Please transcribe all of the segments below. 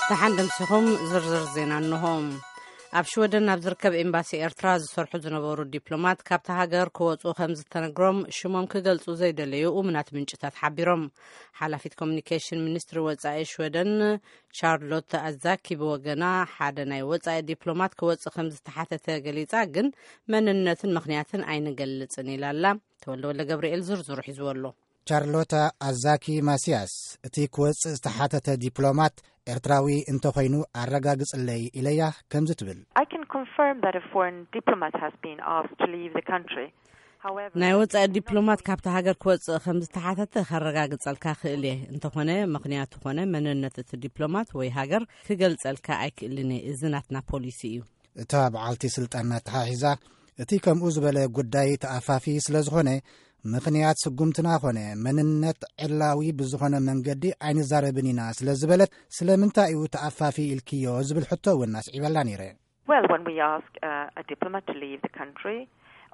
ደሓን ደምሲኹም። ዝርዝር ዜና እንሆ። ኣብ ሽወደን ኣብ ዝርከብ ኤምባሲ ኤርትራ ዝሰርሑ ዝነበሩ ዲፕሎማት ካብቲ ሃገር ክወጹ ከም ዝተነግሮም ሽሞም ክገልጹ ዘይደለዩ እሙናት ምንጭታት ሓቢሮም። ሓላፊት ኮሚኒኬሽን ሚኒስትሪ ወጻኢ ሽወደን ቻርሎት ኣዛኪ ብወገና፣ ሓደ ናይ ወጻኢ ዲፕሎማት ክወጽእ ከም ዝተሓተተ ገሊጻ፣ ግን መንነትን ምኽንያትን ኣይንገልጽን ኢላ ኣላ። ተወልደ ወልደ ገብርኤል ዝርዝሩ ሒዝዎ ኣሎ። ቻርሎታ ኣዛኪ ማሲያስ፣ እቲ ክወጽእ ዝተሓተተ ዲፕሎማት ኤርትራዊ እንተኾይኑ ኣረጋግጽለይ ኢለያ ከምዚ ትብል። I can confirm that a foreign diplomat has been asked to leave the country. However, ናይ ወጻኢ ዲፕሎማት ካብቲ ሃገር ክወጽእ ከም ዝተሓተተ ከረጋግጸልካ ክእል እየ። እንተኾነ ምኽንያቱ ኾነ መንነት እቲ ዲፕሎማት ወይ ሃገር ክገልጸልካ ኣይክእልን እየ። እዚ ናትና ፖሊሲ እዩ። እታ በዓልቲ ስልጣን ኣተሓሒዛ፣ እቲ ከምኡ ዝበለ ጉዳይ ተኣፋፊ ስለ ዝኾነ፣ ምኽንያት ስጉምትና ኾነ መንነት ዕላዊ ብዝኾነ መንገዲ ኣይንዛረብን ኢና ስለ ዝበለት፣ ስለምንታይ እዩ ተኣፋፊ ኢልክዮ ዝብል ሕቶ እውን ኣስዒበላ ነይረ። Well, when we ask uh, a diplomat to leave the country,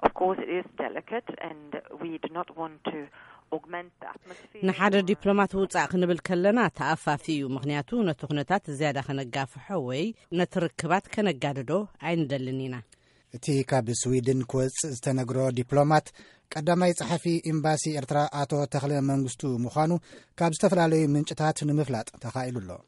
of course it is delicate, and we do not want to augment the atmosphere. ንሓደ ዲፕሎማት ውጻእ ክንብል ከለና ተኣፋፊ እዩ፣ ምኽንያቱ ነቲ ኩነታት ዝያዳ ከነጋፍሖ ወይ ነቲ ርክባት ከነጋድዶ ኣይንደልን ኢና። እቲ ካብ ስዊድን ክወጽእ ዝተነግሮ ዲፕሎማት ቀዳማይ ጸሓፊ ኤምባሲ ኤርትራ ኣቶ ተኽለ መንግስቱ ምዃኑ ካብ ዝተፈላለዩ ምንጭታት ንምፍላጥ ተኻኢሉ ኣሎ።